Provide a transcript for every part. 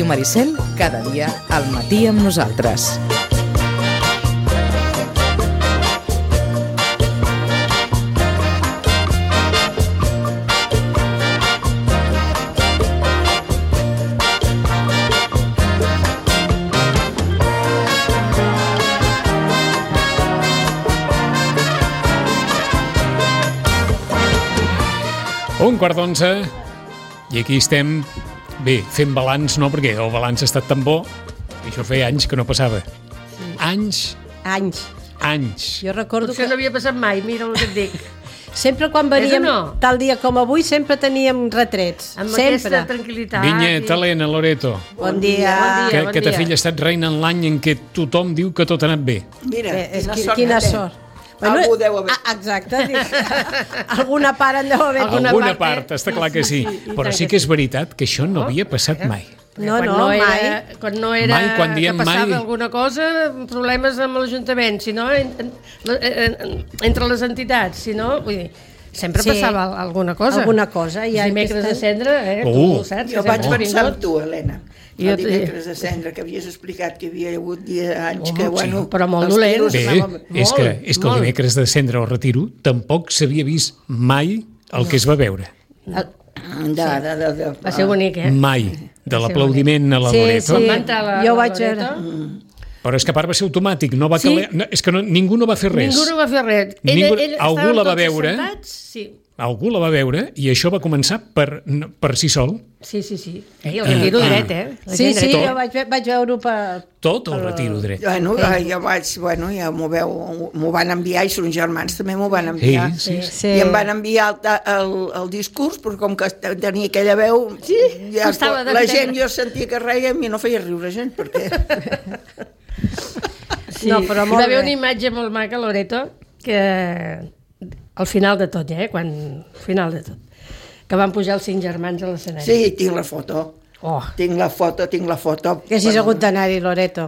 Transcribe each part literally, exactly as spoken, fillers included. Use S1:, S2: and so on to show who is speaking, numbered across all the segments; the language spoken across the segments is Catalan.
S1: Ràdio Maricel, cada dia al matí amb nosaltres.
S2: Un quart d'onze, i aquí estem, bé, fent balanç, no, perquè el balanç ha estat tan bo, i això feia anys que no passava. Sí. Anys.
S3: Anys.
S2: Anys.
S3: Jo recordo
S4: Potser
S3: que...
S4: no havia passat mai, mira el que et dic.
S3: Sempre quan veníem,
S4: no?
S3: tal dia com avui, sempre teníem retrets.
S4: Amb
S3: sempre.
S4: aquesta tranquil·litat.
S2: Vinyet, Helena, Loreto.
S3: Bon dia.
S4: Bon dia.
S2: Que, que ta filla ha estat reina en l'any en què tothom diu que tot ha anat bé.
S5: Mira,
S3: Bé, és
S5: quina
S3: qui,
S5: sort
S3: quina
S5: que té.
S3: sort.
S5: Algú deu haver.
S3: Ah, exacte. Alguna part en deu haver.
S2: Alguna,
S4: Alguna
S2: part,
S4: part,
S2: està clar que sí.
S4: sí, sí, i
S2: Però
S4: tant
S2: sí
S4: que
S2: que és veritat que això no havia passat mai.
S3: No,
S4: quan
S3: no,
S4: no era,
S3: mai.
S4: Quan no era
S2: Mai, quan diem
S4: que passava
S2: mai.
S4: alguna cosa, problemes amb l'Ajuntament, si no, en, en, en, entre les entitats, si no, vull dir, sempre
S3: Sí.
S4: passava alguna cosa.
S3: Alguna cosa, i
S4: Els
S3: ara
S4: dimecres
S3: aquesta-
S4: de cendre, eh,
S2: Uh.
S4: tu ho saps.
S5: Jo
S4: que
S5: vaig
S4: sempre
S5: pensar
S4: has
S5: en tu, Helena.
S4: Jo
S5: El
S4: te-
S5: dimecres de cendre, que havies explicat que hi havia hagut dia, anys
S4: Home,
S5: que,
S4: sí,
S5: bueno...
S4: però molt
S5: els
S4: dolent.
S5: tiros
S2: Bé,
S5: anaven-
S2: és que, és que el
S4: molt.
S2: dimecres de cendre o retiro tampoc s'havia vist mai el que es va veure.
S5: De, de, de, de,
S4: Va ser bonic, eh?
S2: Mai. De l'aplaudiment a la
S3: Sí,
S2: Loreto.
S3: sí.
S4: Va entrar la,
S3: Jo
S4: la
S3: vaig veure.
S4: Loreto.
S2: Però és que a part va ser automàtic, no va
S4: Sí.
S2: caler... No, és que no, ningú no va fer res.
S4: Ningú no va fer res.
S2: Ningú-
S4: Ell, ell,
S2: algú
S4: estàvem
S2: la va
S4: tots
S2: veure.
S4: assentats, Sí,
S2: Algú la va veure i això va començar per, no, per si sol.
S4: sí, sí. sí. Ei, el retiro
S2: Ah.
S4: dret, eh? La
S3: Sí,
S4: gent
S3: sí,
S4: dreta.
S3: jo vaig, ve- vaig veure-ho per...
S2: Tot el retiro dret.
S5: Bueno, jo vaig, bueno, ja m'ho veu, m'ho van enviar, i són germans també m'ho van enviar.
S2: Sí, sí,
S3: sí.
S5: I em van enviar el, el, el discurs, però com que tenia aquella veu,
S4: Sí,
S5: ja,
S4: costava
S5: la
S4: d'entendre.
S5: gent jo sentia que reia i no feia riure gent, perquè...
S4: Sí.
S3: No, però
S4: Hi
S3: molt
S4: va haver
S3: bé.
S4: una imatge molt maca, Loreto, que al final de tot, eh? Quan, al final de tot, que van pujar els cinc germans a l'escenari.
S5: Sí, tinc la foto.
S4: Oh,
S5: Tinc la foto, tinc la foto.
S3: Que hagis hagut d'anar-hi, Loreto.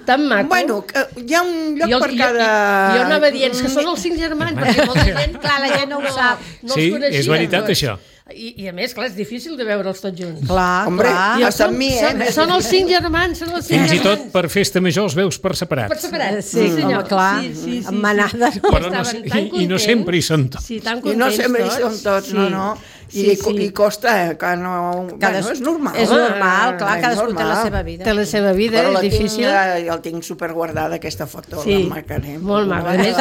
S4: tan maco.
S5: Bueno, que hi ha un lloc
S4: jo,
S5: per
S4: jo,
S5: cada...
S4: jo, jo anava dient que són els cinc germans, perquè molta gent,
S3: Clar, la gent no ho sap.
S4: No
S2: Sí,
S4: els coneixia,
S2: és veritat,
S4: doncs.
S2: això.
S4: I, I a més, clar, és difícil de veure'ls tots junts.
S3: Clar,
S5: Hombre,
S3: clar.
S5: I hasta amb mi, eh?
S4: Són, són els cinc germans, són els cinc
S2: Fins i
S4: germans.
S2: tot per festa major els veus per separat.
S4: Per separat,
S3: Sí,
S4: sí, senyor.
S3: home, clar,
S4: sí, sí, sí,
S3: amb manada, no?
S2: Però no,
S4: Estaven tan
S2: i, I no
S4: contents.
S2: sempre hi són tots.
S4: Sí, tan
S5: I
S4: contents
S5: no sempre hi
S4: tots.
S5: són tots, no, no. I,
S4: Sí, sí.
S5: I costa, eh, que no...
S3: Cada-
S5: Bueno, és normal.
S3: És
S5: home.
S3: normal, clar,
S5: És
S3: cadascú té la
S5: normal.
S3: seva vida.
S4: Té la seva vida,
S5: Però la
S4: és difícil.
S5: Tinc, eh, jo el tinc superguardada, aquesta foto,
S4: Sí,
S5: la marcarem.
S4: molt maca. A més,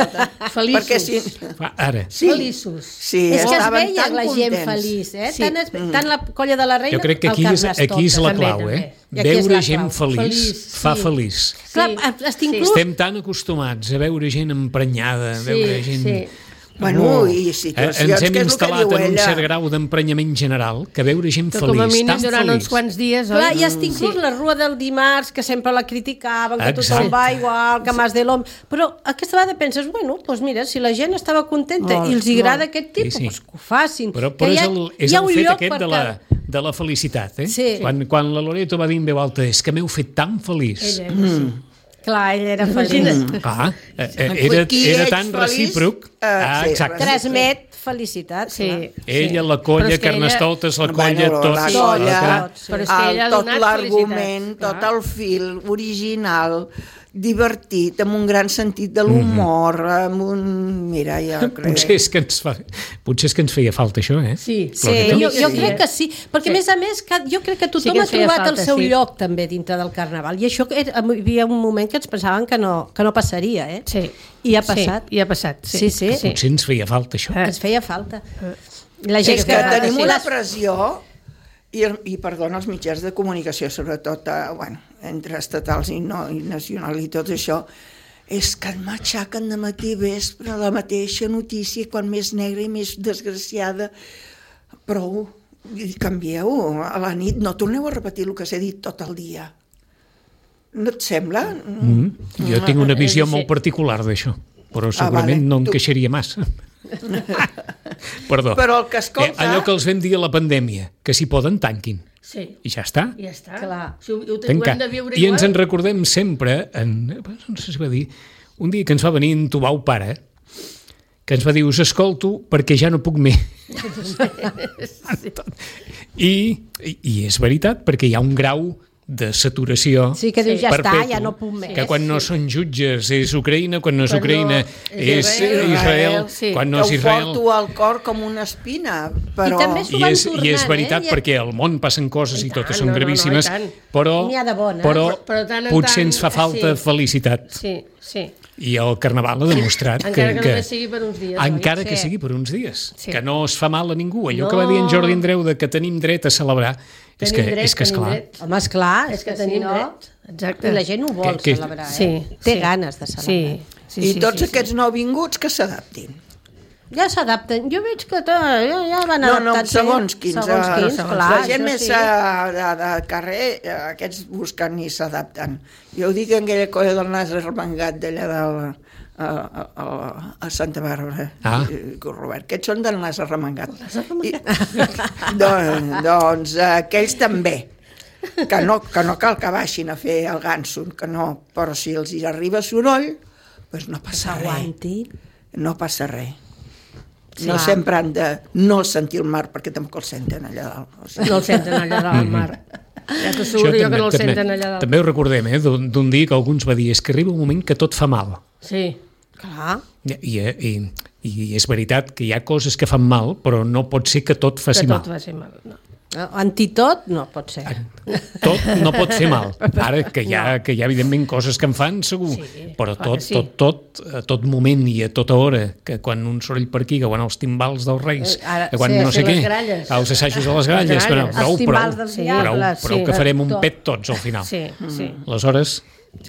S4: feliços.
S5: Perquè sí,
S2: Va, ara,
S5: sí,
S4: Feliços.
S5: sí,
S3: És que es
S5: estaven
S3: veia
S5: tan
S3: la gent
S5: contents.
S3: feliç, eh?
S4: Sí.
S3: Tant, es, tant la colla de la reina,
S2: jo crec que aquí
S3: el
S2: és,
S3: Carnestoltes.
S2: aquí és la
S4: També,
S2: clau,
S4: també.
S2: eh?
S3: I aquí és
S2: Veure
S3: la
S2: gent
S3: clau.
S2: feliç,
S4: Feliç,
S2: fa
S4: sí.
S2: feliç.
S3: Clar,
S4: Sí.
S3: estic inclús...
S2: Estem tan acostumats a veure gent emprenyada, a
S4: Sí,
S2: veure gent...
S4: sí.
S5: Bueno, i
S2: Eh,
S5: situacions,
S2: ens hem
S5: que és el que
S2: instal·lat
S5: diu
S2: en un
S5: ella.
S2: cert grau d'emprenyament general que veure gent
S4: Que
S2: feliç,
S4: com a mínim
S2: tan
S4: durant
S2: feliç.
S4: uns quants dies,
S3: Clar,
S4: oi?
S3: i estic inclús la rua del dimarts, que sempre la criticaven, que
S2: Exacte.
S3: tothom va igual, que Mas de l'Hom... Però aquesta vegada penses, bueno, doncs mira, si la gent estava contenta
S4: Molt,
S3: i els agrada
S4: molt.
S3: aquest tipus,
S2: Sí, sí.
S3: doncs que ho facin.
S2: Però,
S3: Que
S2: però
S3: hi
S2: és
S3: ha-
S2: el, és
S3: hi ha
S2: el
S3: un
S2: fet
S3: lloc
S2: aquest
S3: per
S2: de la,
S3: cada-
S2: de la felicitat, eh?
S3: Sí.
S2: Quan, quan la Loreto va dir en veu alta, és que m'heu fet tan feliç.
S4: Ella, sí.
S3: Clar, ell era feliç.
S4: Imagina't.
S2: Clar, eh, eh, era,
S5: Qui
S2: era
S5: ets
S2: tan
S5: feliç,
S2: recíproc.
S5: eh,
S2: Ah,
S5: sí,
S2: exacte.
S3: Transmet felicitat.
S4: Sí.
S3: clar.
S2: Ella, la
S4: Però
S2: colla,
S4: és que ella-
S2: Carnestoltes, la colla,
S5: Bueno,
S2: tots.
S5: la
S3: Sí,
S5: colla,
S3: clar.
S4: Però és que ella ha
S5: el, tot
S4: donat
S5: l'argument,
S4: felicitats,
S5: tot el fil original, divertit, amb un gran sentit de l'humor, amb un... Mira, jo crec...
S2: Potser és, que ens fa, potser és que ens feia falta això, eh?
S4: Sí,
S3: Sí,
S2: Loreto?
S3: jo, jo
S4: Sí.
S3: crec que sí, perquè
S4: Sí.
S3: a més a més que jo crec que
S4: Sí
S3: tothom
S4: que
S3: ha
S4: ens feia
S3: trobat
S4: falta,
S3: el seu
S4: sí.
S3: lloc també dintre del Carnaval, i això era, hi havia un moment que ens pensaven que no, que no passaria, eh?
S4: Sí.
S3: I ha passat.
S4: Sí, i ha passat, sí.
S3: Sí, sí.
S2: Potser ens feia falta això.
S4: Eh.
S3: Ens feia falta. La gent
S5: És que tenim
S3: sí,
S5: una
S3: les-
S5: pressió, i, i perdona, els mitjans de comunicació, sobretot, eh, bueno, entre estatals i, no, i nacional i tot això, és que et matxaquen de matí i vespre la mateixa notícia, quan més negra i més desgraciada. Prou, i canvieu, a la nit no torneu a repetir el que s'ha dit tot el dia. No et sembla?
S2: Mm. Jo tinc una visió
S4: sí.
S2: molt particular d'això, però segurament
S5: vale.
S2: no em
S5: Tu-
S2: queixaria massa. Perdó.
S5: Però el que escolta...
S2: Eh, allò que els vam dir a la pandèmia, que si poden tanquin,
S4: Sí,
S2: i ja està.
S4: ja està.
S3: Clar.
S4: Si ho, ho, ho
S2: Tancar.
S4: hem de viure
S2: I ens en
S4: igual.
S2: recordem sempre, en, no sé si va dir, un dia que ens va venir en Tubau pare, que ens va dir, us escolto perquè ja no puc més. I, i, I és veritat, perquè hi ha un grau de saturació
S3: Sí, que dius, ja està,
S2: perpetu,
S3: ja no puc més.
S2: que quan no són jutges és Ucraïna, quan no és
S4: Quan no
S2: Ucraïna
S4: és
S2: és
S4: Israel.
S2: Israel,
S4: Sí.
S2: quan no
S5: que
S2: és
S5: ho
S2: Israel...
S5: porto al cor com una espina, però...
S3: I també s'ho
S2: I
S3: van
S2: és,
S3: tornant,
S2: I és veritat,
S3: eh?
S2: perquè al món passen coses i,
S4: I
S2: totes
S4: tant,
S2: són
S4: no, no, no,
S2: gravíssimes,
S4: i tant.
S2: però,
S3: N'hi ha de bones.
S2: però,
S4: Però- però tant en
S2: potser
S4: tant,
S2: ens fa falta
S4: sí.
S2: felicitat.
S4: Sí, sí.
S2: I el Carnaval ha demostrat
S4: Encara que
S2: que...
S4: només sigui per uns dies, oi?
S2: Encara que
S3: Sí.
S2: sigui per uns dies.
S4: Sí.
S2: Que no es fa mal a ningú. Allò
S4: No.
S2: que va dir en Jordi Andreu de que tenim dret a celebrar és que,
S4: Tenim dret,
S2: és que
S4: tenim
S2: esclar,
S4: dret.
S3: Home, esclar,
S4: És que tenim dret. Exacte.
S3: I la gent ho vol
S2: Que- que-
S3: celebrar, eh?
S2: Sí.
S3: Té
S4: Sí.
S3: ganes de celebrar.
S4: Sí, sí,
S5: I
S4: sí,
S5: tots
S4: sí,
S5: aquests nouvinguts que s'adaptin.
S3: Ja s'adapten. Jo veig que to, ja, ja van
S5: No, no,
S3: adaptant-se.
S5: segons quins.
S3: Segons
S5: eh,
S3: quins,
S5: segons.
S3: clar.
S5: La gent
S3: això
S5: més
S3: sí.
S5: eh, de, de carrer, eh, aquests busquen i s'adapten. Jo ho dic en aquella colla del nas arremangat d'allà del, a, a, a, a Santa Bàrbara,
S2: Ah.
S5: i, i Robert. Aquests són del nas arremangat. I, doncs, doncs eh, aquells també. Que no, que no cal que baixin a fer el ganso, que no, però si els hi arriba soroll, doncs no passa res.
S3: S'aguanti.
S5: No passa res.
S3: Sí.
S5: No
S3: Clar.
S5: sempre han de no sentir el mar, perquè tampoc el senten allà dalt. O sigui,
S4: No el senten allà dalt al mar. Ja t'asseguro jo que no el senten allà dalt.
S2: també ho recordem, eh, d'un d'un dia que algú ens va dir és que arriba un moment que tot fa mal.
S4: Sí.
S3: Clar.
S2: I, i, i, i és veritat que hi ha coses que fan mal, però no pot ser que tot faci
S4: Que
S2: mal.
S4: tot va ser mal. No.
S3: Antitot no pot ser.
S2: Tot no pot fer mal. Ara que hi ha, que hi ha evidentment coses que en fan, segur,
S4: Sí,
S2: però
S4: clar
S2: tot,
S4: que sí.
S2: tot, tot, a tot moment i a tota hora, que quan un soroll per aquí, que quan els timbals dels Reis,
S3: Eh, ara,
S2: que quan
S3: sí,
S2: no sé
S4: sí,
S2: què,
S4: les gralles.
S2: els assajos de les gralles,
S4: Les
S2: però
S4: gralles.
S2: prou,
S3: Els timbals
S2: prou,
S3: dels
S4: Sí.
S2: prou,
S3: diables,
S2: prou
S3: sí.
S2: que farem un
S3: Tot.
S2: pet tots al final.
S4: Sí, sí.
S2: Aleshores,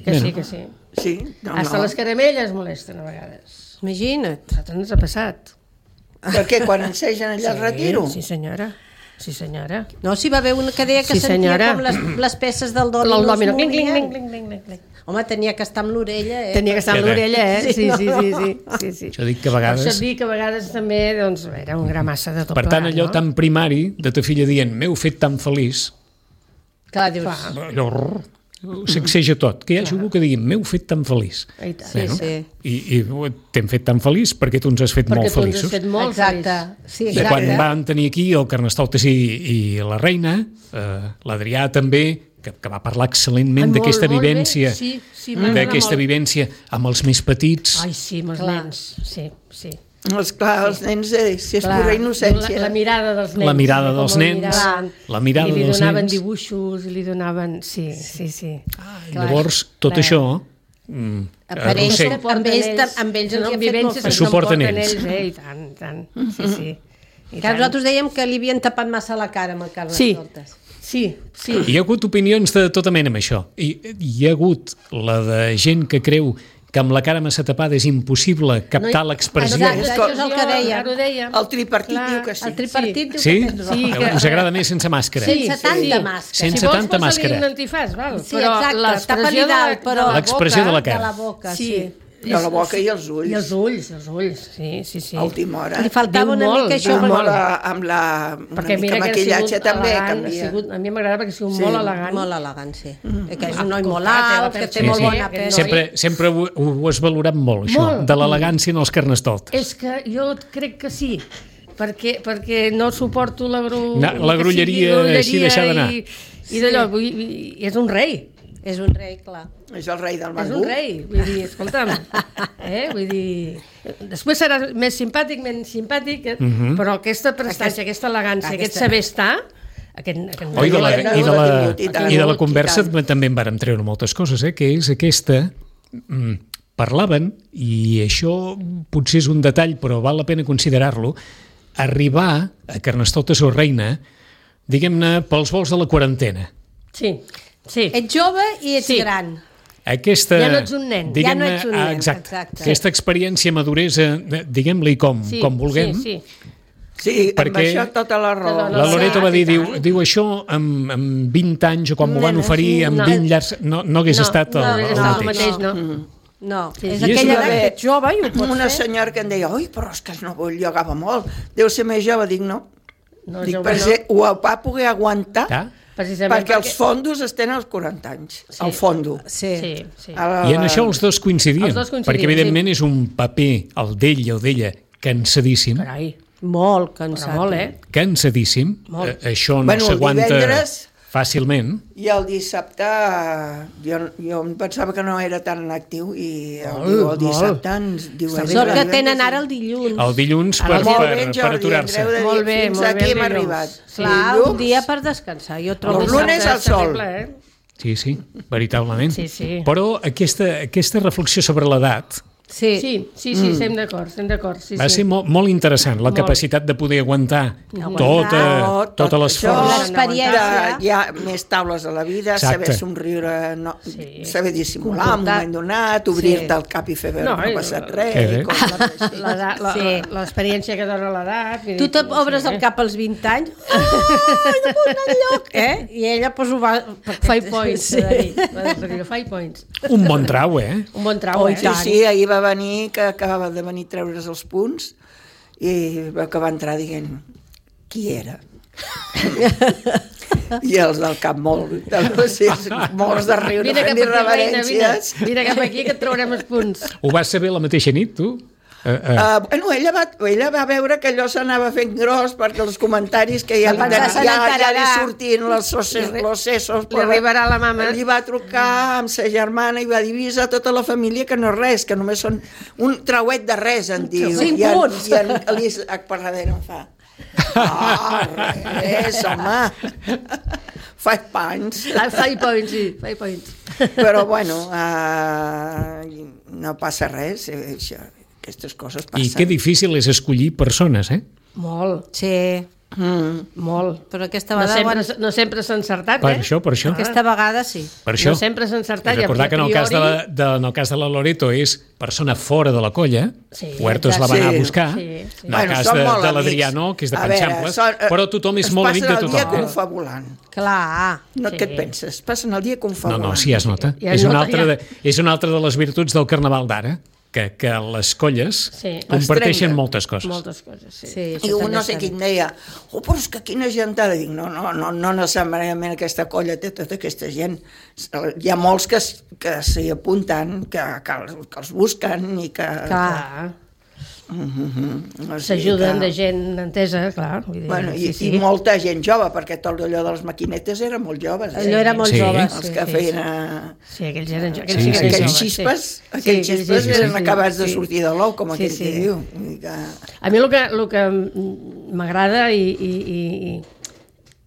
S4: Que
S2: bé,
S4: sí, que sí.
S5: sí, no,
S4: Hasta
S5: no.
S4: les caramelles molesten a vegades.
S3: Imagina't.
S4: A nosaltres ens ha passat.
S5: Perquè quan ensegen allà al retiro,
S4: Sí, senyora. Sí, senyora.
S3: No, si va haver una que deia que
S4: Sí,
S3: sentia
S4: senyora.
S3: com les, les peces del dòmino
S4: El
S3: es
S4: dòmino. Cling, cling,
S3: movien.
S4: cling, cling, cling, cling.
S3: Home, tenia que estar amb l'orella, eh?
S4: Tenia que estar amb
S2: Sí,
S4: l'orella, eh?
S3: sí,
S4: Sí,
S3: no,
S4: sí,
S3: no.
S4: sí, sí, sí, sí.
S2: jo dic que a
S4: Per això
S2: vegades...
S4: et dic que a vegades també doncs, era un gra massa de tot
S2: Per tant,
S4: plegat,
S2: allò
S4: no?
S2: tan primari de ta filla dient m'heu fet tan feliç,
S3: Clar, dius...
S2: allò rrr, sacseja tot. Que hi hagi algú que digui m'heu fet tan feliç.
S4: I tant.
S3: Sí, sí.
S2: I, i t'hem fet tan feliç perquè tu ens has fet
S4: Perquè
S2: molt
S4: tu ens has
S2: feliços.
S4: fet molt
S3: Exacte.
S4: feliç.
S3: Sí,
S2: De
S3: exacte.
S2: quan van tenir aquí el Carnestoltes i, i la reina, eh, l'Adrià també, que, que va parlar excel·lentment
S4: Ai, molt,
S2: d'aquesta
S4: molt bé.
S2: vivència,
S4: Sí, sí, m'agrada
S2: d'aquesta
S4: molt.
S2: vivència amb els més petits.
S4: Ai, sí, amb els
S3: Clar.
S4: nens. Sí, sí.
S5: esclar, els nens, eh, si és
S3: Clar.
S5: pura innocència.
S4: La, la mirada dels nens.
S2: La mirada
S4: com
S2: dels
S4: el
S2: nens,
S4: miraven.
S2: la mirada
S4: I li
S2: dels
S4: donaven
S2: nens.
S4: dibuixos, i li donaven... Sí, sí, sí.
S2: I llavors, tot
S4: Clar.
S2: això... Mm,
S3: Apareix
S2: arrossega-
S3: amb ells, amb ells els hi ha fet molt
S4: vivències
S3: feliç.
S2: Es suporten ells.
S4: eh? I tant, i tant. Sí, sí. I
S3: Que nosaltres dèiem que li havien tapat massa la cara amb el
S4: Sí,
S3: Carnestoltes.
S4: sí, sí.
S2: Hi ha hagut opinions de tota mena amb això. I hi ha hagut la de gent que creu que amb la cara massa tapada és impossible captar l'expressió.
S3: Exacte, això és el que deia.
S4: Ara ho deia.
S5: El tripartit
S4: Clar,
S5: diu que sí.
S3: El tripartit diu
S2: Sí?
S3: que tens raó.
S4: Sí, que-
S2: Us agrada més sense màscara?
S3: Sí. Sense tanta
S4: sí.
S3: màscara.
S2: Sense
S4: si vols,
S2: tanta
S4: posa-li
S2: màscara.
S4: un antifàs, val?
S3: Sí,
S4: però
S3: exacte,
S4: l'expressió
S3: tapa-li
S4: de la-
S3: dalt, però-
S4: de la
S2: L'expressió de la
S4: boca-
S3: De
S2: cara.
S3: la boca, sí.
S4: Sí.
S5: De la boca i els ulls.
S4: I els ulls, els ulls, sí, sí, sí.
S5: A última hora.
S3: Li faltava
S4: Diu
S3: una
S4: molt,
S3: mica això.
S4: diu
S5: amb
S4: molt.
S5: la, amb la una
S4: Perquè
S5: mica
S4: mira que ha
S5: maquillatge
S4: sigut
S5: també
S4: elegant, ha
S5: canvia.
S4: sigut, a mi m'agrada perquè ha sigut
S5: Sí,
S4: molt elegant.
S3: Molt elegant, sí.
S4: Mm.
S3: Que és un noi molt
S4: Escolta,
S3: alt,
S4: té
S3: que
S4: la
S3: té
S2: Sí,
S3: molt
S2: sí.
S3: bona
S4: Aquest
S3: pell.
S4: noi-
S2: Sempre, sempre ho, ho has valorat molt, això,
S4: Molt.
S2: de l'elegància en els Carnestoltes.
S4: És que jo crec que sí, perquè, perquè no suporto la, gru...
S2: Na- la
S4: que
S2: grulleria
S4: sigui
S2: així deixada anar.
S4: I, i d'allò, vull dir, i és un rei.
S3: És un rei, clar.
S5: És el rei del
S4: És
S5: mangú.
S4: un rei, vull dir, escolta'm, eh? vull dir, després serà més simpàtic, menys simpàtic, eh?
S2: Mhm.
S4: però aquesta prestància, aquesta elegància, aquest
S3: aquesta-
S4: saber estar, aquest, aquest
S2: Oh, i, de la,
S5: No, no,
S2: i, de
S5: no
S2: la,
S5: l'ha tingut, i tant.
S2: I de la
S5: I
S2: conversa
S5: tant.
S2: també en vàrem treure moltes coses, eh? que és aquesta... Mm, parlaven, i això potser és un detall, però val la pena considerar-lo, arribar a Carnestoltes o Reina, diguem-ne, pels vols de la quarantena.
S4: Sí, sí.
S3: Ets jove i ets
S4: Sí.
S3: gran.
S2: Aquesta,
S4: Ja no ets un nen, ja
S2: diguem-ne,
S3: no ets un nen,
S2: ah, exacte,
S3: exacte.
S2: aquesta experiència, maduresa, de- diguem-li com,
S4: sí,
S2: com vulguem,
S4: Sí, sí.
S5: Sí, amb
S2: Perquè
S5: això tota la raó.
S4: No,
S2: la
S4: no,
S2: Loreto
S4: sí,
S2: va dir,
S4: i
S2: diu,
S4: tant.
S2: diu això amb, amb vint anys o quan m'ho van
S3: Nena,
S2: oferir
S3: sí,
S2: amb
S4: no.
S2: vint llargs, no, no hagués
S4: No,
S2: estat el,
S4: no,
S2: el
S4: és el
S2: mateix.
S4: mateix, no.
S5: Mm.
S3: No,
S4: Sí,
S3: és
S4: sí.
S2: I és
S3: aquella
S2: una-
S3: edat que ets jove i ho pots
S5: Una
S3: fer.
S5: senyora que em deia, oi, però és que no vull, jo agava molt. Deu ser més jove, dic, no.
S4: No,
S5: dic,
S4: jove
S5: per
S4: no.
S5: ser, ho va poder aguantar
S2: Ja?
S4: Precisament
S5: perquè els fondos es tenen als quaranta anys,
S4: Sí.
S5: al fondo.
S3: Sí.
S4: Sí, sí.
S5: A la-
S2: I en això els dos coincidien,
S4: Els dos coincidien,
S2: perquè evidentment és un paper, el d'ell o d'ella, cansadíssim,
S4: Carai,
S3: Molt
S4: però
S3: cansat.
S4: molt, eh?
S2: cansadíssim,
S4: Molt.
S2: eh, això no
S5: Bueno, el
S2: s'aguanta...
S5: divendres,
S2: fàcilment.
S5: I el dissabte, jo, jo em pensava que no era tan actiu i el,
S4: Molt,
S5: el dissabte ens diu...
S3: Sort que tenen ara el dilluns.
S2: El dilluns per,
S5: Molt
S2: per,
S5: bé,
S2: per
S5: Jordi,
S2: aturar-se.
S5: ens heu de dir,
S4: Molt bé,
S5: fins
S4: molt bé,
S5: aquí hem
S4: dilluns.
S5: arribat.
S3: Clar,
S5: Dilluns,
S3: un dia per descansar. Jo trobo
S5: El lunes al sol.
S4: Terrible, eh?
S2: Sí, sí, veritablement.
S4: Sí, sí.
S2: Però aquesta, aquesta reflexió sobre l'edat
S3: Sí.
S4: Sí, sí, sí, estem d'acord, estem d'acord. Sí,
S2: va
S4: sí.
S2: ser molt, molt interessant, la
S4: Molt.
S2: capacitat de poder aguantar
S3: Aguantar.
S2: tota,
S5: tot
S2: tota
S5: això,
S2: l'esforç.
S3: L'experiència.
S5: Hi ha més taules a la vida,
S2: Exacte.
S5: saber somriure, no,
S4: Sí.
S5: saber dissimular en un
S3: Comportar.
S5: moment donat, obrir-te
S3: Sí.
S5: el cap i fer veure
S4: No,
S5: que no ha
S4: i-
S5: passat
S2: Que
S5: res.
S2: bé.
S5: i coses així.
S4: L'edat- la-
S3: Sí.
S4: la- L'experiència que dona l'edat. vull
S3: Tu
S4: dir,
S3: t'obres
S4: sí.
S3: el cap als vint anys, ai, no puc anar enlloc, eh? I ella pues, ho va...
S4: Five points,
S3: Sí.
S4: s'ha de dir. Va de dir, Five points.
S2: Un bon trau, eh?
S4: Un bon trau,
S3: Oh,
S4: eh?
S3: i
S5: Sí,
S3: tant.
S5: sí, ahir va venir, que acabava de venir a treure's els punts, i va que va entrar dient qui era. I els del cap molt, de, sí, molts de riure,
S4: Vine cap
S5: fent-hi
S4: aquí, reina, vine.
S5: reverències.
S4: Vine cap aquí que et traurem els punts.
S2: Ho vas saber la mateixa nit, tu? Uh, uh.
S5: Uh, bueno, ella va, ella va veure que allò s'anava fent gros perquè els comentaris que ja,
S3: Va
S5: li,
S3: pensar,
S5: ja,
S3: se
S5: ja, ja li
S3: n'enterarà.
S5: sortien els sosses, los sesos,
S4: Li arribarà la mama.
S5: Li va trucar amb sa germana i va dir avisa a tota la família que no és res, que només són un trauet de res, en diu.
S3: Cinc
S5: I en,
S3: punts.
S5: I en l'Isaac per darrere em fa ah, res, home. Five points.
S4: Ah, Five points, sí, five points.
S5: Però, bueno, uh, no passa res, eh, això, aquestes coses passen.
S2: I que difícil és escollir persones, eh?
S4: Molt,
S3: Sí,
S5: Mm.
S4: molt.
S3: però aquesta
S4: No
S3: vegada...
S4: sempre,
S3: bueno,
S4: no sempre s'ha encertat,
S2: Per
S4: eh?
S2: això, per això.
S3: aquesta vegada sí.
S2: Per això.
S4: No sempre s'ha encertat.
S2: I recordar que en el, cas de la, de, en el cas de la Loreto és persona fora de la colla,
S4: Sí,
S2: Huertos la va
S5: exacte.
S2: anar a
S5: Sí,
S2: buscar,
S4: sí, sí.
S2: en el
S5: Bueno,
S2: cas
S5: són
S2: de,
S5: molt
S2: de
S5: amics.
S2: l'Adriano, que és de
S5: A veure,
S2: Panxamples,
S5: són- eh,
S2: però tothom és molt amic de
S5: Es passen el dia
S2: tothom.
S5: confabulant.
S3: Clar.
S5: No,
S4: Sí.
S5: Què et penses? Passen el dia
S2: No,
S5: confabulant.
S2: no, sí, es nota.
S4: Ja es
S2: és, una
S4: nota,
S2: altra
S4: ja.
S2: de, és una altra de les virtuts del Carnaval d'ara, que, que les colles
S4: Sí.
S2: comparteixen
S5: trenquen.
S2: moltes coses.
S4: Moltes coses, sí.
S3: Sí,
S5: I
S3: això
S5: un
S3: també
S5: no sé
S3: està
S5: qui
S3: bé.
S5: em deia, oh, però és que quina gentada. Dic, no, no, no, no necessàriament aquesta colla té tota aquesta gent. Hi ha molts que, s- que s'hi apunten, que, que, els, que els busquen i que...
S3: Clar.
S4: Clar.
S5: O sigui
S4: S'ajuden
S5: que-
S4: de gent entesa, clar. Vull dir,
S5: Bueno, i,
S4: sí, sí.
S5: i molta gent jove, perquè tot allò de les maquinetes era molt joves. Eh?
S3: Allò era molt
S2: Sí.
S3: jove.
S5: Els
S3: Sí.
S5: que
S4: sí,
S5: feien...
S4: sí.
S5: eh,
S4: Sí, aquells eren jo.
S2: Sí,
S4: Aquells sí,
S2: sí,
S4: que
S2: sí.
S4: eren
S5: Aquells
S4: joves,
S5: xispes,
S4: sí.
S5: aquells
S4: Sí, aquells
S5: xispes
S4: xispes,
S5: eren
S4: sí.
S5: acabats de
S4: Sí.
S5: sortir de l'ou, com
S4: Sí,
S5: aquell
S4: sí.
S5: que diu. Vull dir que...
S4: A mi el que, el que m'agrada i, i, i,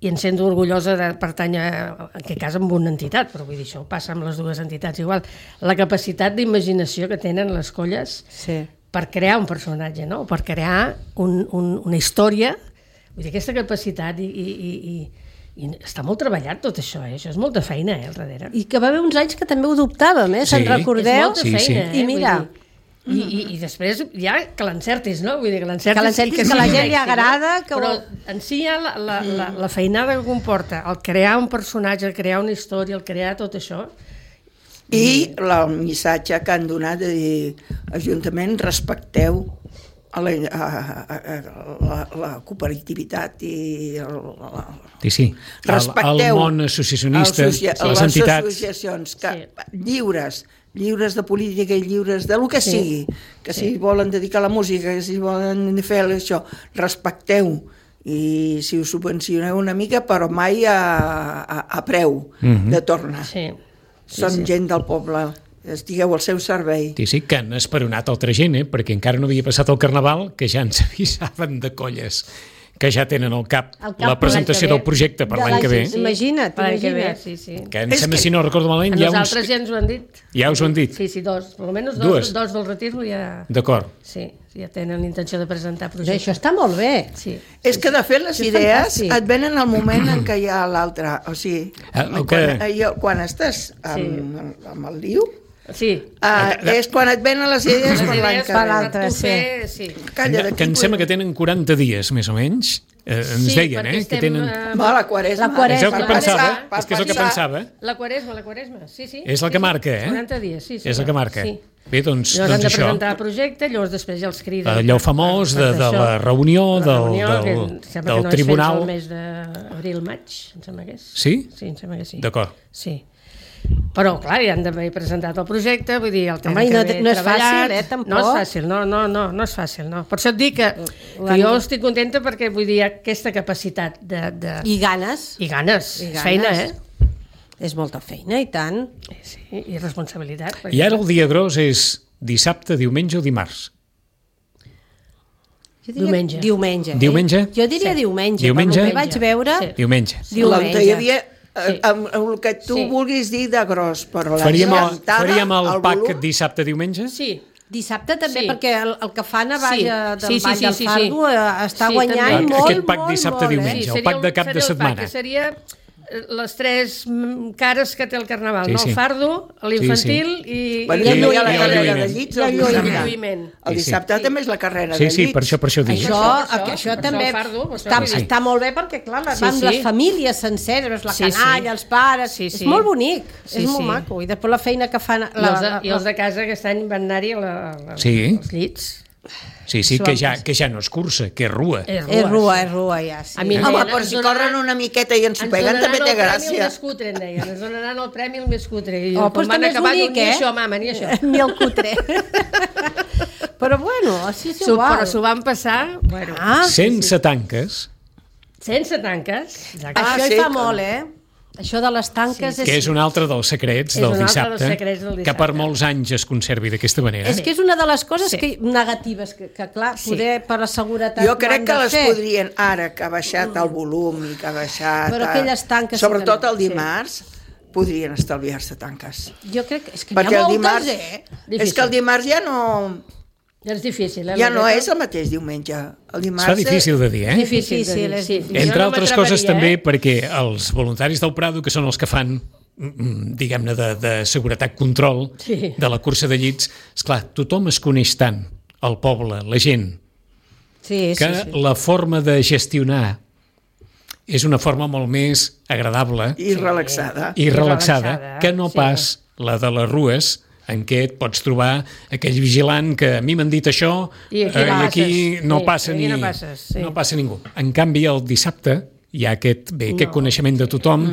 S4: i em sento orgullosa de pertànyer, en aquest cas, amb una entitat, però vull dir, això passa amb les dues entitats igual, la capacitat d'imaginació que tenen les colles
S3: Sí.
S4: per crear un personatge, no? Per crear un, un, una història. Vull dir, aquesta capacitat i, i, i, i, i està molt treballat tot això, eh? Això és molta feina, eh, al darrere.
S3: I que va haver uns anys que també ho dubtàvem, eh? Se'n
S2: Sí.
S3: recordeu?
S4: És molta
S2: Sí,
S4: feina,
S2: sí.
S4: eh?
S3: I mira.
S4: Vull dir, I, i, I després ja que l'encertis, no? Vull dir, que l'encertis...
S3: Que l'encertis, que
S4: sigui
S3: la
S4: un
S3: gent li
S4: èxit,
S3: agrada,
S4: no?
S3: que
S4: Però
S3: ho-
S4: en si ja la, la, la, la feinada que comporta, el crear un personatge, el crear una història, el crear tot això...
S5: I la- el missatge que han donat de dir, Ajuntament, respecteu a la, a, a, a, la, la cooperativitat i el, la,
S2: Sí, sí. El, el
S5: respecteu
S2: món associacionista,
S5: els associa-
S2: les
S5: les
S2: entitats...
S5: associacions que,
S4: Sí.
S5: lliures, lliures de política i lliures de lo que
S4: Sí.
S5: sigui, que si volen dedicar a la música, que si volen fer això, respecteu i si us subvencioneu una mica, però mai a, a, a preu
S2: Mhm.
S5: de tornar.
S4: Sí.
S5: Són gent del poble, estigueu al seu servei.
S2: Sí, sí, que han esperonat altra gent, eh? Perquè encara no havia passat el Carnaval, que ja ens avisaven de colles que ja tenen al cap,
S3: Al cap
S2: la presentació
S4: per l'any que
S2: del projecte per
S3: De
S2: l'any que ve,
S3: Sí. Imagina't,
S4: Per l'any que ve,
S3: imagina't.
S4: sí, sí.
S2: que em
S5: És
S2: sembla,
S5: que-
S2: si no recordo
S4: A
S2: malament, ja uns...
S4: nosaltres ja ens ho han dit.
S2: Ja us ho han dit?
S4: Sí, sí, dos. Per almenys dos,
S2: Dues.
S4: dos del retir ja...
S2: D'acord.
S4: Sí, ja tenen intenció de presentar
S3: Això
S4: projectes.
S3: està molt bé.
S4: Sí.
S5: És que, de fet, les
S3: Això és
S5: idees
S3: fantàstic.
S5: et venen al moment en què hi ha l'altre. O sigui,
S2: Ah, el
S5: quan,
S2: que-
S5: jo, quan estàs amb, amb el liu,
S4: Sí.
S5: uh, és quan et venen les idees per l'any que
S3: per
S5: ve.
S3: l'altre,
S4: tu
S3: sí.
S4: fer, sí.
S5: Calla,
S2: Que,
S5: d'aquí
S2: que em sembla que
S5: podem-
S2: tenen quaranta dies, més o menys. Eh, ens
S4: Sí,
S2: deien,
S4: perquè
S2: eh? Que
S4: estem,
S2: tenen...
S4: eh,
S5: Va, la quaresma.
S3: La quaresma.
S2: És el que
S3: per
S2: pensava,
S5: per
S2: és que és el que
S5: pensar.
S2: pensava.
S4: La quaresma, la quaresma, sí, sí.
S2: És la que
S4: sí,
S2: marca,
S4: sí.
S2: eh?
S4: quaranta dies, sí.
S2: És la
S4: senyor.
S2: que marca.
S4: Sí.
S2: Bé, doncs,
S4: Llavors han
S2: doncs
S4: de
S2: això.
S4: presentar el projecte, llavors després ja els criden.
S2: Allò famós de, de la reunió,
S4: La
S2: del,
S4: reunió,
S2: del,
S4: que em sembla
S2: del
S4: que no
S2: tribunal.
S4: És fins al mes d'abril-maig, em sembla que és.
S2: Sí?
S4: Sí, em sembla que sí.
S2: D'acord.
S4: Sí. Però, clar, ja han d'haver presentat el projecte, vull dir, el tenen
S3: Home, i
S4: que
S3: no,
S4: haver
S3: no és
S4: treballat.
S3: fàcil, eh, tampoc.
S4: No és fàcil, no, no, no, no és fàcil, no. Per això et dic que, que jo estic contenta perquè, vull dir, aquesta capacitat de... de...
S3: I ganes.
S4: I ganes,
S3: I
S4: és
S3: ganes.
S4: feina, eh?
S3: És molta feina, i tant.
S4: Sí, i responsabilitat. Perquè...
S2: I ara el dia gros és dissabte, diumenge o dimarts?
S3: Jo diria
S4: Diumenge.
S3: Diumenge. Eh?
S2: Diumenge?
S3: Jo diria
S4: Sí.
S3: diumenge.
S2: Diumenge?
S3: Pel que vaig veure,
S4: Sí.
S2: Diumenge.
S3: diumenge.
S5: Hi havia
S4: Sí.
S5: amb, amb el que tu
S4: Sí.
S5: vulguis dir de gros, però la
S2: Faríem el,
S5: llantada,
S2: faríem el,
S5: el
S2: pack
S5: volum,
S2: dissabte-diumenge?
S4: Sí,
S3: Dissabte també,
S4: Sí.
S3: perquè el, el que fan a
S4: Sí.
S3: Baix del
S4: Sí, sí,
S3: Vall
S4: sí,
S3: del
S4: sí,
S3: Fardo
S4: sí.
S3: eh, està
S4: Sí,
S3: guanyant
S4: també.
S3: molt,
S2: Aquest pack
S3: molt,
S2: dissabte-diumenge.
S3: molt,
S2: el
S3: eh?
S2: pack de cap
S4: seria
S2: de
S4: el
S2: setmana.
S4: pack, que seria eh, les tres mm, cares que té el carnaval,
S2: Sí,
S4: no?
S2: sí.
S4: El fardo, l'infantil i,
S5: Bueno,
S4: i,
S5: i
S4: el
S5: hi ha la
S2: i el
S5: carrera de
S2: lluïment.
S5: llits.
S3: I el
S5: el
S3: lluïment.
S5: dissabte.
S4: lluïment.
S5: El
S2: Sí, sí.
S5: dissabte també és la carrera
S2: Sí,
S5: de
S2: sí,
S5: llits.
S2: per això, per això ho dic.
S3: Això,
S4: Per això,
S3: això,
S4: per això
S3: també
S4: el fardo, per això
S3: està,
S4: vull dir.
S3: està molt bé perquè, clar,
S4: Sí,
S3: van
S4: sí.
S3: les famílies senceres, la
S4: Sí, sí.
S3: canalla, els pares...
S4: Sí, sí.
S3: És molt bonic,
S4: Sí,
S3: és molt
S4: sí.
S3: maco. I després la feina que fan...
S4: I,
S3: La,
S4: els de,
S3: la,
S4: I els de casa aquest any van anar-hi a la, a la,
S2: Sí.
S4: als llits.
S2: Sí, sí,
S3: Això
S2: que
S3: vam
S2: ja,
S3: passar.
S2: que ja no és cursa, que és rua.
S4: És
S3: És rua, és rua, ja, sí.
S4: A mi
S5: Home,
S4: deien,
S5: però
S4: ens
S5: si
S4: donaran-
S5: corren una miqueta i ens ho peguen també té
S4: Ens donaran el premi el
S5: gràcia.
S4: més cutre, em deien. Ens donaran el premi el més cutre. I
S3: Oh,
S4: quan
S3: doncs
S4: van
S3: també és
S4: acabar,
S3: bonic,
S4: diu, ni
S3: eh?
S4: això, mama, ni això.
S3: Ni el cutre. Però bueno, així és
S4: S'ho-
S3: igual.
S4: Però s'ho van passar, bueno,
S3: Ah,
S2: Sense tanques,
S4: sense tanques. Exacte.
S5: Ah,
S3: això
S5: sí,
S3: hi fa
S5: que-
S3: molt, eh? Això de les tanques és...
S2: que és un altre dels secrets
S4: És
S2: del
S4: un altre dels
S2: dissabte,
S4: secrets del
S2: que
S4: dissabte.
S2: per molts anys es conservi d'aquesta manera.
S3: És que és una de les coses
S4: Sí.
S3: que, negatives, que, que clar,
S4: Sí.
S3: poder per la seguretat...
S5: Jo
S3: ho
S5: crec
S3: han
S5: que
S3: de
S5: les
S3: fer.
S5: podrien, ara que ha baixat el volum i que ha baixat...
S3: Però
S5: eh,
S3: aquelles tanques sí
S5: Sobretot
S3: que no.
S5: el dimarts, podrien estalviar-se tanques.
S3: Jo crec que és que
S5: Perquè
S3: hi ha
S5: el
S3: moltes,
S5: dimarts...
S3: eh?
S5: És que el dimarts ja no...
S4: Ja és difícil, eh?
S5: Ja
S4: la
S5: no
S4: neta?
S5: és el mateix diumenge. El
S2: Es
S5: dimarts...
S2: fa difícil de dir, eh?
S4: Difícil,
S3: Difícil,
S4: de dir,
S3: és
S4: sí.
S3: difícil.
S4: Jo
S2: Entre
S4: no
S2: altres coses també
S4: m'atreveria, Eh?
S2: perquè els voluntaris del Prado, que són els que fan mm, diguem-ne, de, de seguretat control
S4: Sí.
S2: de la cursa de llits, esclar, tothom es coneix tant, el poble, la gent,
S3: Sí,
S2: que
S3: sí, sí.
S2: la forma de gestionar és una forma molt més agradable
S5: I relaxada.
S2: i relaxada,
S4: relaxada,
S2: que no
S4: sí.
S2: pas la de les rues, en què et pots trobar aquell vigilant que a mi m'han dit això
S4: I aquí
S2: eh,
S4: no
S2: i aquí
S4: passes.
S2: no
S4: Sí,
S2: passa
S4: aquí
S2: ni
S4: no passes, sí.
S2: no passa ningú. En canvi, el dissabte hi ha aquest, bé, aquest coneixement de tothom,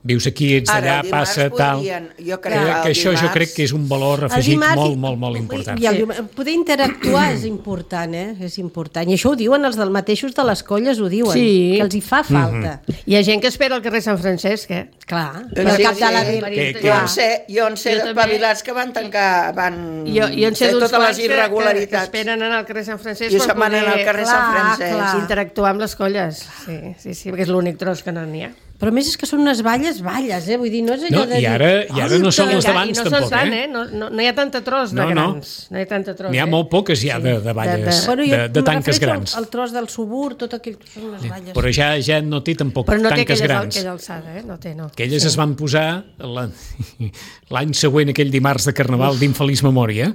S2: vius aquí, ets
S5: Ara,
S2: d'allà,
S5: el dimarts
S2: passa, tal...
S5: podrien- jo crec
S2: que,
S5: que el
S2: que això jo
S5: dimarts-
S2: crec que és un valor
S3: El
S2: afegit
S3: dimarts-
S2: molt, molt, molt important.
S3: I el dimarts- poder interactuar és important, eh? És important. I això ho diuen els del mateixos de les colles, ho diuen,
S4: Sí.
S3: que els hi fa falta.
S4: Hi ha gent que espera al carrer Sant Francesc, eh?
S3: Clar,
S5: Eh,
S3: per
S5: sí,
S3: cap de la
S5: sí.
S3: vila.
S2: Que- que-
S5: Jo en sé, jo en sé
S4: Jo també.
S5: d'espavilats que van tancar, van
S4: Jo, jo en sé
S5: fer
S4: d'uns
S5: totes les
S4: quants que, que, que
S5: irregularitats.
S4: esperen anar al carrer Sant Francesc
S5: I
S4: per
S5: se'n van anar al carrer
S3: Clar,
S5: Sant Francesc.
S3: clar.
S4: interactuar amb les colles. Sí, sí, sí, perquè és l'únic tros que no n'hi ha.
S3: Però a més és que són unes valles, valles, eh? Vull dir, no és allò
S2: No,
S3: de
S2: i
S3: dir...
S2: ara, i ara no són les
S4: I
S2: d'abans,
S4: no
S2: tampoc,
S4: se'ls fan,
S2: eh?
S4: eh? No, no, no hi ha tanta tros de
S2: No, no.
S4: grans. No hi ha tanta tros.
S2: N'hi ha
S4: eh?
S2: molt poques ja de, de valles,
S4: de-
S3: Bueno, jo
S2: de, de
S3: em
S2: tanques
S3: refereixo
S2: grans.
S3: Al, al tros del subur, tot aquell... Són unes valles.
S2: Però ja ja no té tampoc
S4: Però no té
S2: tanques
S4: aquella,
S2: grans.
S4: aquella alçada, eh? No té, no.
S2: Aquelles es van posar la- l'any següent, aquell dimarts de Carnaval d'Infeliç Memòria,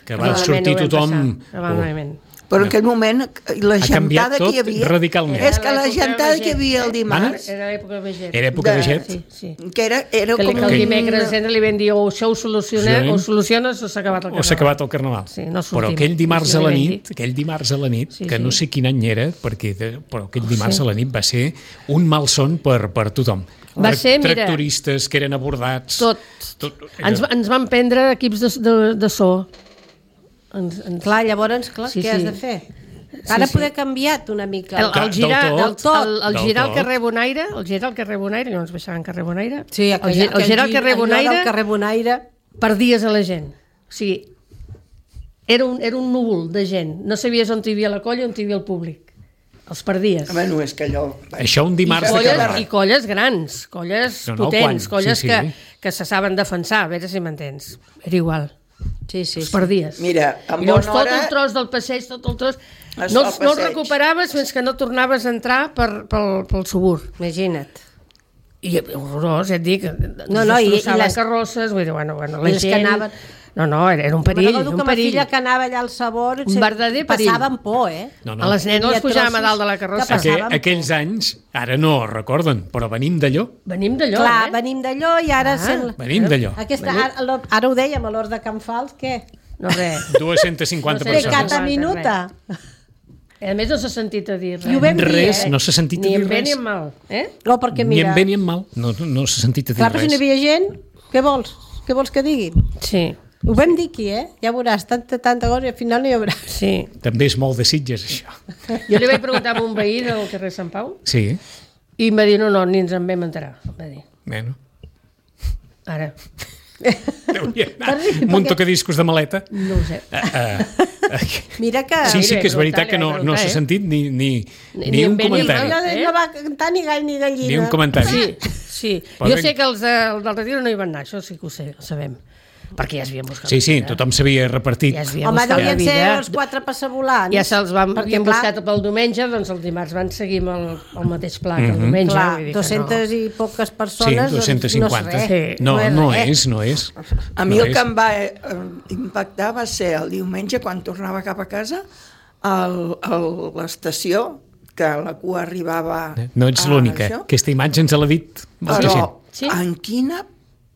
S2: que va
S4: Malament
S2: sortir
S4: ho vam
S2: tothom...
S4: passar, que va malament.
S5: Però en aquell moment la
S2: Ha canviat
S5: gentada que
S2: tot
S5: hi havia...
S2: radicalment.
S5: És que la
S4: Era l'època
S5: gentada
S4: de
S5: que hi havia el
S4: Veget.
S5: dimarts,
S4: Era l'època de Veget.
S2: Era època de
S5: De-
S2: jet.
S4: Sí, sí.
S5: que era, era
S4: Que, li-
S5: com
S4: que el
S5: un...
S4: dimecres sempre li vam dir o això ho soluciona,
S2: Sí.
S4: o soluciones o s'ha acabat el
S2: O s'ha acabat el Carnaval.
S4: Sí, no sortim.
S2: Però aquell dimarts
S4: Sí,
S2: a la
S4: li vam
S2: nit,
S4: dir.
S2: aquell dimarts a la nit,
S4: Sí,
S2: que
S4: sí.
S2: no sé quin any era, perquè de, però aquell dimarts
S4: Sí.
S2: a la nit va ser un malson per, per tothom.
S4: Va
S2: Tra-
S4: ser, mira,
S2: tractoristes que eren abordats.
S4: Tot.
S2: tot
S4: Ens, ens van prendre equips de, de, de so. Ens, ens...
S3: Clar, llavors, clar,
S4: Sí,
S3: què
S4: sí.
S3: has de fer? Ara
S4: sí.
S3: poder canviat una mica.
S4: El, el,
S2: Del
S4: girar,
S2: tot.
S4: del tot, el, el
S2: Del
S4: girar al
S2: tot.
S4: carrer Bonaire, el girar al carrer Bonaire, no ens baixaven al carrer Bonaire,
S3: Sí,
S4: el,
S3: aquell,
S4: gi- el girar al carrer
S3: allò
S4: Bonaire
S3: del carrer Bonaire...
S4: perdies a la gent. O sigui, era un, era un núvol de gent. No sabies on hi havia la colla, on hi havia el públic. Els perdies.
S5: Bueno, és que allò...
S2: Això un
S4: I
S2: dimarts de
S4: colles,
S2: Carnaval.
S4: I colles grans, colles
S2: No, no,
S4: potents,
S2: quan?
S4: colles
S2: Sí, sí.
S4: Que, que se saben defensar, a veure si m'entens. Era igual.
S3: Sí, sí,
S4: Els
S3: sí.
S4: perdies.
S5: Mira, en
S4: I llavors
S5: bona
S4: tot
S5: hora...
S4: el tros del passeig, tot el tros...
S5: Es
S4: No,
S5: fa
S4: els-
S5: el
S4: no els
S5: passeig.
S4: recuperaves fins que no tornaves a entrar per, pel, pel subur.
S3: Imagina't.
S4: I horrorós, ja et dic.
S3: No, no, i- i
S4: destroçaven
S3: les-
S4: carrosses, vull dir, bueno, bueno,
S3: I
S4: la
S3: les que
S4: gent...
S3: anaven-
S4: No, no, era, era un perill,
S3: Recordo
S4: un
S3: que ma
S4: perill.
S3: filla que anava allà al sabor...
S4: Un verdader perill.
S3: Passaven por, eh?
S2: No, no.
S4: A les nenes
S3: Hi ha
S4: les pujàvem a
S3: trossos
S4: dalt de la
S3: que
S4: carrossa.
S3: passaven
S2: Aqu
S3: por.
S2: aquells anys, ara no ho recorden, però venim d'allò.
S4: Venim d'allò,
S3: Clar,
S4: eh?
S3: venim d'allò i ara...
S4: Ah.
S3: sent...
S2: Venim d'allò.
S3: Aquesta, ara, l'hor- ara ho dèiem, a l'hora de Can Fals, què?
S4: No, res.
S2: dues-centes cinquanta
S4: No sé,
S3: Pecata
S2: persones.
S4: res.
S3: minuta.
S4: A més, no s'ha sentit a dir res.
S3: I ho vam dir,
S2: Res,
S3: eh?
S2: no s'ha sentit a
S4: Ni
S2: dir
S4: en bé
S2: res.
S4: ni en mal. Eh?
S3: No, perquè
S2: Ni
S3: mira...
S2: en bé ni en mal. No, no s'ha sentit a dir
S3: Clar, però si no
S2: res.
S3: hi havia gent, què vols? Què vols que digui?
S4: Sí,
S3: Ho vam dir aquí, eh? Ja veuràs, tanta, tanta cosa i al final no hi haurà.
S4: sí.
S2: També és molt de Sitges, això.
S4: Jo li vaig preguntar a un veí del carrer Sant Pau
S2: Sí,
S4: i em va dir, no, no, ni ens en vam enterar. Em va dir,
S2: bueno.
S4: ara,
S2: Hauria d'anar amb un tocadiscos de maleta.
S4: no ho sé.
S2: Uh, uh,
S3: Mira que...
S2: sí, sí
S4: li
S2: que és
S4: vaig
S2: veritat que no,
S4: preguntar,
S2: no
S4: li vaig
S2: s'ha
S4: preguntar,
S2: sentit ni, ni,
S4: Ni-
S2: ni
S4: ni
S2: un
S4: en bé ni en
S2: comentari.
S4: mal.
S3: No, no va cantar ni gall ni gallina.
S2: Ni un comentari.
S4: Sí, sí.
S2: Pobre-
S4: Jo sé que els, de, els del Retiro no hi van anar, això sí que ho sé, ho sabem. Perquè ja s'havien buscat
S2: Sí,
S4: la
S2: sí,
S4: vida.
S2: tothom s'havia repartit.
S4: Ja s'havien
S3: Home,
S4: buscat la
S3: devien ser
S4: vida.
S3: els quatre passavolants.
S4: Ja se'ls van,
S3: Perquè,
S4: havien
S3: clar,
S4: buscat pel diumenge, doncs el dimarts van seguir amb el, el mateix pla que el
S2: Mhm.
S4: diumenge.
S3: Clar,
S4: vull dir que
S3: dues-centes i poques
S2: Sí,
S3: persones,
S2: dos-cents cinquanta.
S3: doncs no és res.
S4: Sí.
S2: No,
S3: és
S2: no
S3: res.
S2: és, no és.
S5: A mi
S2: no
S5: el
S2: és.
S5: que em va eh, impactar va ser el diumenge, quan tornava cap a casa, al- a l'estació, que la cua arribava...
S2: No ets
S5: a
S2: l'única.
S5: això.
S2: Aquesta imatge ens l'ha dit molta gent.
S5: Però
S4: Sí.
S5: en quina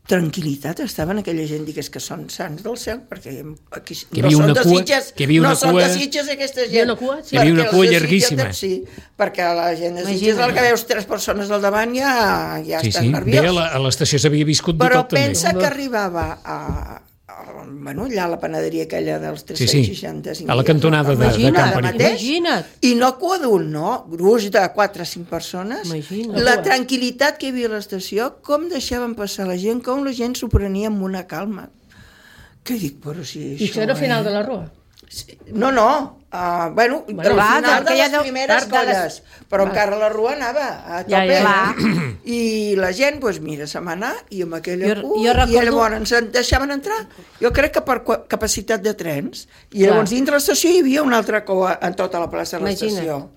S5: tranquil·litat estaven aquella gent, digués que són sants del cel, perquè aquí
S2: Hi
S5: no
S2: havia
S5: són
S2: una
S5: de
S2: cua-
S5: Sitges,
S2: que hi havia
S5: no
S2: una
S5: són
S2: cua-
S5: de Sitges aquesta gent.
S4: Hi havia una cua, sí.
S2: Hi havia una
S5: Perquè
S2: cua
S5: els de Sitges,
S2: llarguíssima.
S5: Sí, perquè la gent de Sitges,
S3: Imagina't.
S5: el que veus tres persones al davant ja, ja
S2: Sí,
S5: estan
S2: sí. Bé,
S5: nerviós.
S2: a la- a l'estació s'havia viscut de
S5: Però
S2: tot, també.
S5: pensa que arribava a, a, bueno, allà a la panaderia aquella dels
S2: Sí,
S5: tres-cents
S2: sí.
S5: seixanta-cinc
S2: a la cantonada de, de
S3: Imagina't,
S2: Can
S5: Ara
S2: Perill.
S5: mateix,
S3: Imagina't.
S5: i no cua d'un, no, gruix de quatre o cinc persones.
S3: Imagina't.
S5: La tranquil·litat que hi havia a l'estació, com deixaven passar la gent, com la gent s'ho prenia amb una calma. Que dic, però si això...
S4: I això era al final
S5: eh?
S4: de la rua.
S5: Sí, no, no, uh, bueno,
S4: Bueno,
S5: al
S3: clar,
S5: final de
S3: que ja
S5: les
S3: deu-
S5: primeres
S3: de les-
S5: colles, però encara la rua anava a tope.
S4: Ja, ja,
S3: ja.
S5: I la gent, doncs mira, se'n va anar, i amb aquella
S3: Jo-
S5: cua,
S3: jo recordo-
S5: i llavors ens deixaven entrar, jo crec que per qua- capacitat de trens, i
S4: Clar.
S5: llavors dintre l'estació hi havia una altra cua en tota la plaça de l'estació.
S3: Imagina't.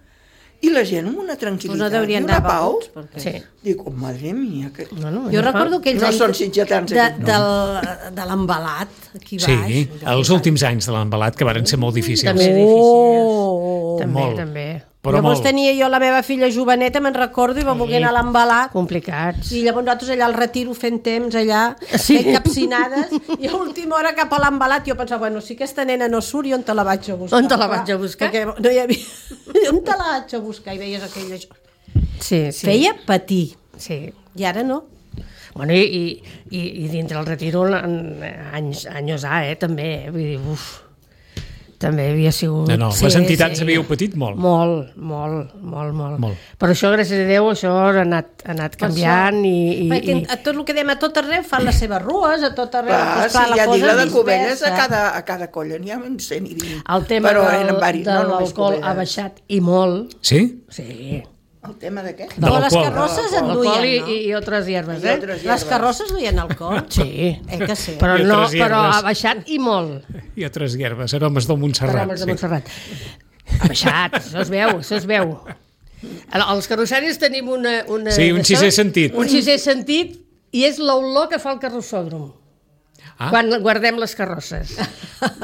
S5: I la gent amb una
S3: Doncs
S5: tranquil·litat
S3: no deurien
S5: i una
S3: anar
S5: pau.
S3: beguts, perquè...
S4: Sí.
S5: Dic, oh, madre mia, que...
S4: No, no,
S3: Jo
S4: no
S3: recordo
S4: fa.
S3: aquells
S5: No
S3: anys
S5: són sitgetans,
S3: de,
S5: aquests, no.
S3: del, de l'embalat aquí baix.
S2: Sí, els últims anys de l'embalat, que varen ser molt difícils.
S4: També
S3: Oh!
S4: difícils. També,
S2: Molt.
S4: també.
S2: Però
S3: Llavors
S2: molt.
S3: tenia jo la meva filla joveneta, me'n recordo, i va voler anar a l'embalat.
S4: Complicats.
S3: I llavors nosaltres allà al Retiro fent temps allà,
S4: Sí.
S3: fent capcinades, i a última hora cap a l'embalat jo pensava, bueno, si aquesta nena no surt, i on te la vaig a buscar?
S4: On te la
S3: Clar,
S4: vaig a buscar?
S3: Perquè no hi havia... on te la vaig a buscar? I veies aquella...
S4: Sí, sí.
S3: Feia patir,
S4: Sí.
S3: i ara no.
S4: Bueno, i, i, i dintre el Retiro, en, anys, anys A, eh, també, eh? Vull dir, uf, també havia sigut...
S2: No, no,
S3: Sí,
S2: les entitats
S3: sí.
S2: havíeu patit molt.
S4: Molt, molt, molt, molt.
S2: Molt.
S4: Però això, gràcies a Déu, això ha anat, ha anat canviant i... i,
S3: Perquè
S4: i...
S3: a tot el que dèiem, a tot arreu fan les seves rues, a tot arreu...
S5: Clar,
S3: doncs,
S5: sí,
S3: clar, la
S5: ja dic,
S3: cosa
S5: la de
S3: és
S5: Cubelles, a
S3: dispersa.
S5: cada, a cada colla n'hi ha un cent i vint.
S4: El tema
S5: Però
S4: del,
S5: eren varis,
S4: de
S5: no només
S4: l'alcohol
S5: Cubelles.
S4: ha baixat i molt.
S2: Sí?
S4: Sí.
S5: El tema de què?
S2: De
S3: Però les
S2: l'alcohol.
S3: carrosses en
S4: L'alcohol i,
S3: duien, no?
S4: i, i altres hierbes,
S5: I
S4: eh?
S5: altres
S3: Les
S5: hierbes.
S3: carrosses duien alcohol?
S4: Sí.
S3: Eh que sí.
S4: Però,
S2: I
S4: no,
S2: altres
S4: però
S2: hierbes.
S4: ha baixat i molt.
S2: I altres hierbes, aromes del
S4: Per
S2: Montserrat.
S4: homes de
S2: Sí.
S4: Montserrat. Ha baixat, això es veu, això es veu. Els carrossaris tenim una... una
S2: Sí, un
S4: d'això,
S2: sisè sentit.
S4: Un sisè sentit i és l'olor que fa el carrossòdrom.
S2: Ah.
S4: Quan guardem les carrosses.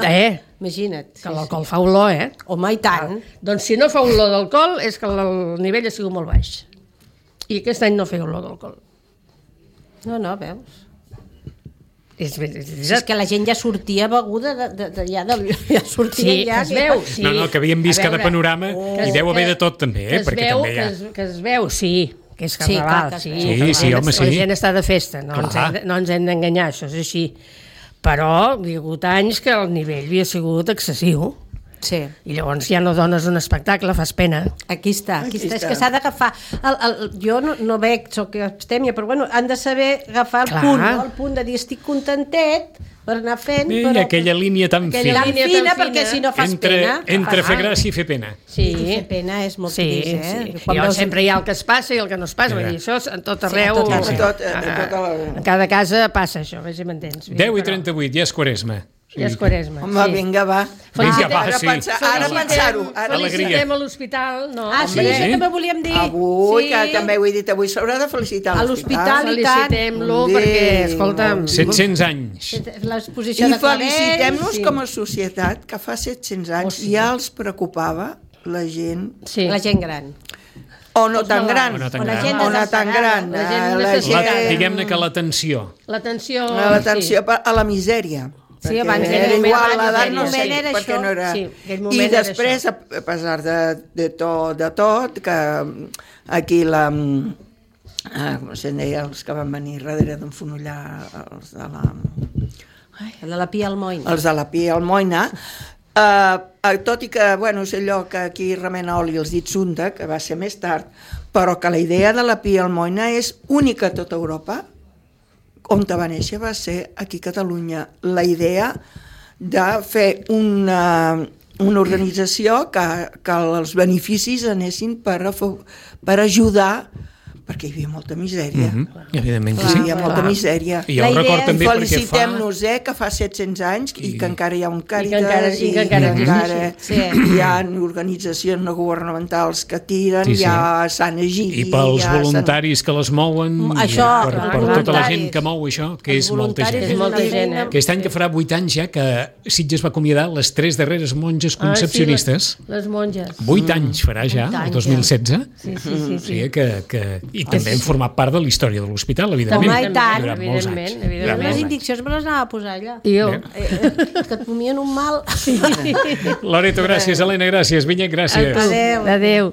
S4: Eh?
S3: Imagina't.
S4: Que l'alcohol fa olor, eh?
S3: Home, i tant.
S4: Doncs si no fa olor d'alcohol és que el nivell ha sigut molt baix. I aquest any no feia olor d'alcohol.
S3: No, no, veus?
S4: És, és, és,
S3: Si és que la gent ja sortia beguda de, de, de, ja, de, ja sortia
S4: Sí,
S3: ja...
S4: que es veu. Sí.
S2: No, no, que havíem vist
S4: A
S2: cada
S4: veure,
S2: panorama
S4: que
S2: i
S4: es-
S2: deu haver
S4: que-
S2: de tot també,
S4: que
S2: eh?
S4: es
S2: Perquè
S4: veu,
S2: també hi ha...
S4: que, es, que es veu, sí, que és
S3: Sí, clar
S4: carnaval,
S3: que es
S4: sí,
S3: veu.
S2: Sí,
S4: que la
S2: sí,
S4: gent-
S2: home, sí.
S4: La gent està de festa, no, ens
S2: Clar.
S4: hem, de- no ens hem d'enganyar, això és així. Però hi ha hagut anys que el nivell havia sigut excessiu.
S3: Sí.
S4: I llavors ja no dones un espectacle, fas pena.
S3: Aquí està, aquí,
S5: Aquí
S3: està. És
S5: està.
S3: que s'ha d'agafar... El, el, jo no, no veig, soc abstèmia, però bueno, han de saber agafar el
S4: Clar.
S3: punt, no? El punt de dir estic contentet per anar fent...
S2: I
S3: però,
S2: aquella línia tan
S3: aquella
S2: fina.
S3: línia
S4: Línia
S3: fina,
S4: tan
S3: perquè
S4: fina.
S3: si no fas
S2: Entre,
S3: pena...
S2: entre
S3: fas
S2: fer
S3: mal.
S2: gràcia i fer pena.
S4: Sí,
S3: I fer pena és molt
S4: sí,
S3: trist, eh?
S4: sí.
S3: Quan
S4: I
S3: veus-
S4: sempre hi ha el que es passa i el que no es passa. Vull dir, això és en tot arreu.
S3: tot arreu.
S5: A tot- a tota la-
S4: En cada casa passa això, a veure si m'entens. Vull dir,
S2: deu i
S4: però
S2: trenta-vuit, ja és quaresma.
S4: Ja és quaresma.
S5: Home,
S4: sí.
S5: vinga, va.
S2: Vinga, va,
S5: ara
S2: sí.
S5: pensar, ara
S4: Felicitem-
S5: pensar-ho. Ara
S2: Alegria.
S4: Felicitem a l'hospital. No,
S3: Ah, sí,
S4: home,
S3: això també volíem dir.
S5: Avui,
S3: sí.
S5: que també ho he dit, avui s'haurà de felicitar
S3: A l'hospital. i tant.
S4: Felicitem-lo
S5: Molt bé.
S4: perquè, escolta'm,
S2: set-cents anys.
S3: L'exposició
S5: I
S3: de clavells...
S5: felicitem-nos
S3: sí.
S5: com a societat que fa set-cents anys
S4: Oh, sí.
S5: ja els preocupava la gent,
S4: sí.
S3: La gent gran.
S5: o no tan gran,
S2: O no tan
S3: O la
S2: gran.
S3: gent
S5: o no tan gran,
S4: La gent
S5: eh, la
S4: necessita-
S2: La,
S5: gent,
S2: diguem-ne que l'atenció.
S4: L'atenció...
S5: l'atenció a la misèria.
S3: Sí, abans
S5: era
S3: era
S5: igual,
S3: abans,
S5: l'edat
S3: aquell
S5: no sé,
S3: moment era
S5: perquè
S3: això.
S5: no era...
S4: Sí, aquell
S5: I
S4: moment era
S5: després, a a pesar de, de, tot, de tot, que aquí la... Ah, com se'n deia, els que van venir darrere d'en Fonollar, els de la...
S3: Ai, de la Pia Almoina.
S5: Els de la Pia Almoina, eh, tot i que, bueno, és allò que aquí remena oli els dits unta, que va ser més tard, però que la idea de la Pia Almoina és única a tota Europa, on va néixer va ser aquí a Catalunya. La idea de fer una, una organització que, que els beneficis anessin per, a, per ajudar, perquè hi havia molta misèria.
S2: Mm-hmm. Evidentment que
S5: Hi
S2: sí.
S5: havia molta misèria.
S2: I jo ho record també perquè fa...
S5: Felicitem-nos, eh, que fa set-cents anys i, i que encara hi ha un Càritas
S4: encara- i que encara
S5: i encara
S3: Sí.
S5: hi ha organitzacions no governamentals que tiren,
S2: Sí, sí.
S5: hi ha Sant Egidi...
S2: I pels
S5: hi ha
S2: voluntaris que les mouen,
S3: Això,
S2: per,
S3: els
S2: per tota la
S3: voluntaris.
S2: gent que mou això, que
S3: Els
S2: és molta
S3: voluntaris
S2: gent.
S4: És molta
S3: una
S4: gent,
S3: feina-
S4: eh?
S2: Aquest any que farà vuit anys ja que Sitges va acomiadar les tres darreres monges concepcionistes.
S4: Ah, sí, les, les monges.
S2: Vuit anys farà ja,
S3: Vuit
S2: el
S3: anys,
S2: dos mil setze.
S4: Sí, sí, sí.
S2: O
S4: sí.
S2: sigui que, que, I també hem format part de la història de l'hospital, evidentment.
S3: Home, i tant.
S2: Durant molts anys.
S4: Evidentment, evidentment.
S2: Durant
S3: Les
S2: molts anys.
S3: indiccions me les anava a posar allà.
S4: I jo.
S3: Eh, eh, que et comien un mal.
S2: Loreto, gràcies. Helena, gràcies. Vinyet, gràcies.
S3: Adéu.
S4: Adéu.